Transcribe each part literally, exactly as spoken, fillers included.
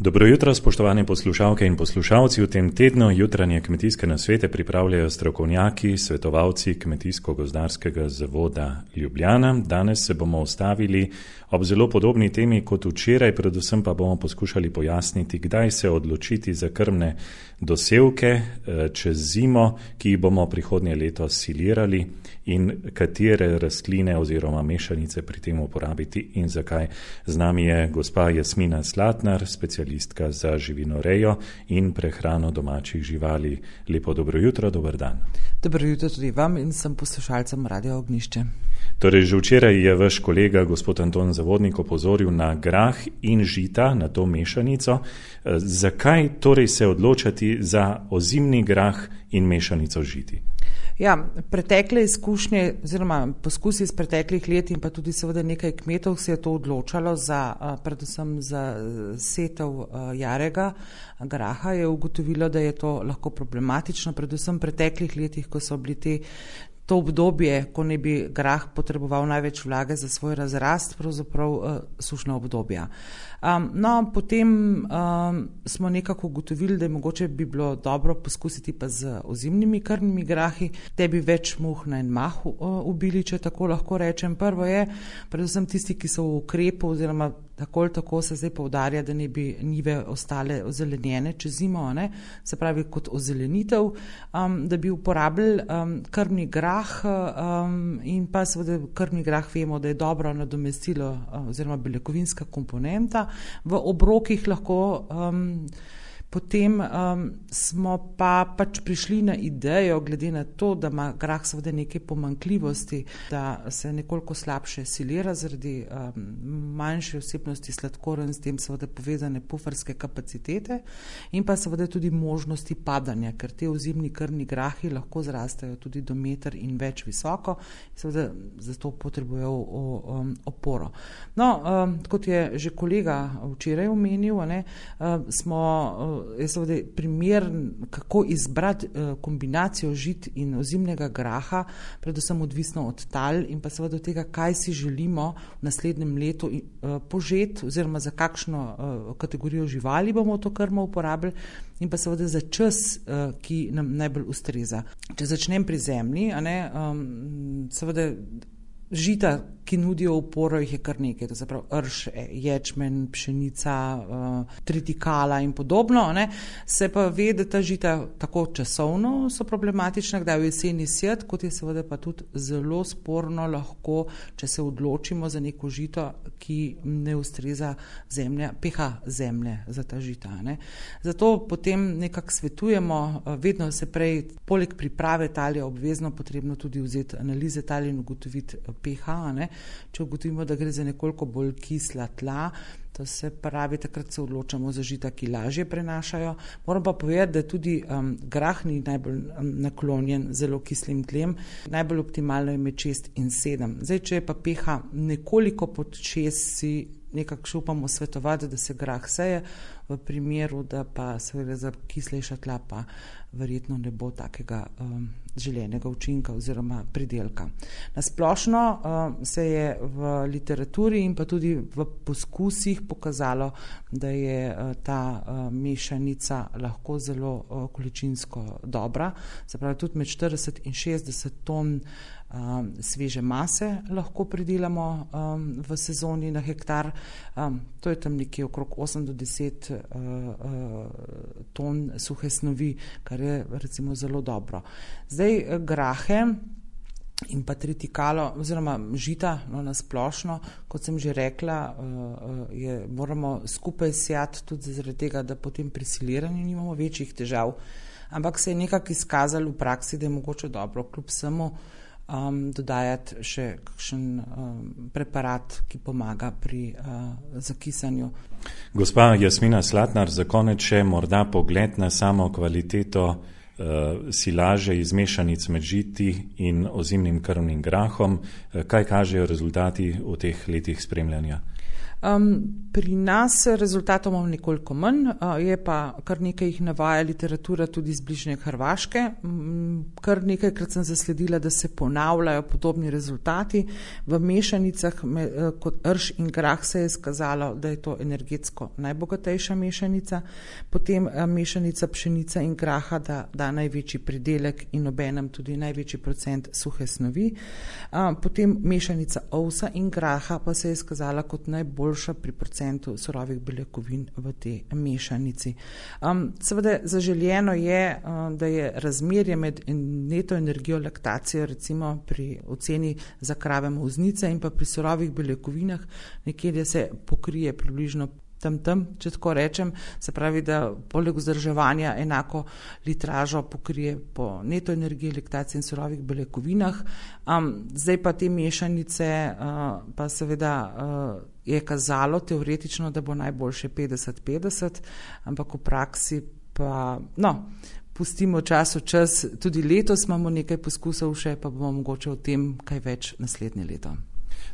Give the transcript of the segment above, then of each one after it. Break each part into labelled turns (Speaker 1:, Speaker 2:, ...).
Speaker 1: Dobro jutro, spoštovane poslušalke in poslušalci. V tem tednu jutranje kmetijske nasvete pripravljajo strokovnjaki, svetovalci Kmetijsko-gozdarskega zavoda Ljubljana. Danes se bomo ustavili ob zelo podobni temi kot včeraj, predvsem pa bomo poskušali pojasniti, kdaj se odločiti za krmne dosevke čez zimo, ki jih bomo prihodnje leto silirali, in katere rastline oziroma mešanice pri tem uporabiti in zakaj. Z nami je gospa Jasmina Slatnar, specialistka za živinorejo in prehrano domačih živali. Lepo dobro jutro, dober dan.
Speaker 2: Dobro jutro tudi vam in sem poslušalcem Radia Ognjišče.
Speaker 1: Torej, že včeraj je vaš kolega, gospod Anton Zavodnik, opozoril na grah in žita, na to mešanico. Zakaj torej se odločati za ozimni grah in mešanico žiti?
Speaker 2: Ja, pretekle izkušnje oziroma poskusi iz preteklih let in pa tudi seveda nekaj kmetov se je to odločalo za, predvsem za setev jarega graha, je ugotovilo, da je to lahko problematično, predvsem v preteklih letih, ko so bili te to obdobje, ko ne bi grah potreboval največ vlage za svoj razrast, pravzaprav uh, sušna obdobja. Um, no, potem um, smo nekako ugotovili, da je mogoče bi bilo dobro poskusiti pa z ozimnimi krmnimi grahi, te bi več muh na en mah uh, ubili, če tako lahko rečem. Prvo je, predvsem tisti, ki so v ukrepu oziroma tako ali tako se zdaj poudarja, da ne bi njive ostale ozelenjene čez zimo, ne? Se pravi kot ozelenitev, um, da bi uporabili um, krmni grah um, in pa seveda krmni grah vemo, da je dobro nadomestilo uh, oziroma beljakovinska komponenta. V obrokih lahko um, Potem um, smo pa pač prišli na idejo, glede na to, da ima grah seveda neke pomanjkljivosti, da se nekoliko slabše silira zaradi um, manjše vsebnosti sladkorja in s tem seveda povezane puferske kapacitete in pa seveda tudi možnosti padanja, ker te ozimni krmni grahi lahko zrastejo tudi do meter in več visoko, seveda zato potrebujejo um, oporo. No, um, kot je že kolega včeraj omenil, ne, um, smo um, je seveda primer, kako izbrati uh, kombinacijo žit in ozimnega graha, predvsem odvisno od tal in pa seveda od tega, kaj si želimo v naslednjem letu uh, požeti oziroma za kakšno uh, kategorijo živali bomo to krmo uporabili in pa seveda za čas, uh, ki nam najbolj ustreza. Če začnem pri zemlji, a ne, um, seveda žita, ki nudijo oporo, jih je kar nekaj, to se pravi rž, ječmen, pšenica, uh, tritikala in podobno, ne. Se pa ve, da ta žita tako časovno so problematična, kdaj v jeseni sjet, kot je seveda pa tudi zelo sporno lahko, če se odločimo za neko žito, ki ne ustreza zemlja, pH zemlje za ta žita, ne. Zato potem nekako svetujemo, vedno se prej, poleg priprave tal je obvezno potrebno tudi vzeti analize tal in ugotoviti pH, ne. Če ugotovimo, da gre za nekoliko bolj kisla tla, to se pravi, takrat se odločamo za žita, ki lažje prenašajo. Moram pa povedati, da tudi um, grah ni najbolj um, naklonjen zelo kislim tlem. Najbolj optimalno je med šest in sedem. Zdaj, če je pa pH nekoliko pod šest, si nekako še upamo svetovati, da se grah seje, v primeru, da pa se gre za kislejša tla, pa verjetno ne bo takega um, želenega učinka oziroma pridelka. Nasplošno um, se je v literaturi in pa tudi v poskusih pokazalo, da je uh, ta uh, mešanica lahko zelo uh, količinsko dobra, se pravi tudi med štirideset in šestdeset ton Um, sveže mase lahko pridelamo um, v sezoni na hektar. Um, to je tam nekje okrog osem do deset uh, uh, ton suhe snovi, kar je recimo zelo dobro. Zdaj grahe in pa tritikalo oziroma žita, no, na splošno, kot sem že rekla, uh, je, moramo skupaj sejati tudi zaradi tega, da potem pri siliranju nimamo večjih težav. Ampak se je nekako izkazalo v praksi, da je mogoče dobro kljub vsemu Um, dodajati še kakšen um, preparat, ki pomaga pri uh, zakisanju.
Speaker 1: Gospa Jasmina Slatnar, za konec še morda pogled na samo kvaliteto uh, silaže iz mešanic med žiti in ozimnim krmnim grahom. Kaj kažejo rezultati v teh letih spremljanja?
Speaker 2: Um, pri nas rezultatov imamo nekoliko manj, uh, je pa kar nekaj jih navaja literatura tudi iz bližnje Hrvaške. Um, kar nekajkrat sem zasledila, da se ponavljajo podobni rezultati. V mešanicah me, uh, kot rž in grah se je skazalo, da je to energetsko najbogatejša mešanica, potem uh, mešanica pšenica in graha da, da največji pridelek in obenem tudi največji procent suhe snovi. Uh, potem mešanica ovsa in graha pa se je skazala kot najbolj pri procentu surovih beljakovin v tej mešanici. Um, seveda zaželjeno je, um, da je razmerje med neto energijo laktacijo recimo pri oceni za krave molznice in pa pri surovih beljakovinah nekje se pokrije približno tam tam, če tako rečem, se pravi, da poleg vzdrževanja enako litražo pokrije po neto energiji, laktacije in surovih beljakovinah. Um, zdaj pa te mešanice uh, pa seveda uh, je kazalo teoretično, da bo najboljše petdeset petdeset, ampak v praksi pa, no, pustimo čas v čas, tudi letos imamo nekaj poskusov še, pa bomo mogoče o tem kaj več naslednje leto.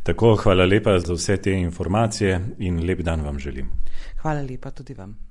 Speaker 1: Tako, hvala lepa za vse te informacije in lep dan vam želim.
Speaker 2: Hvala lepa tudi vam.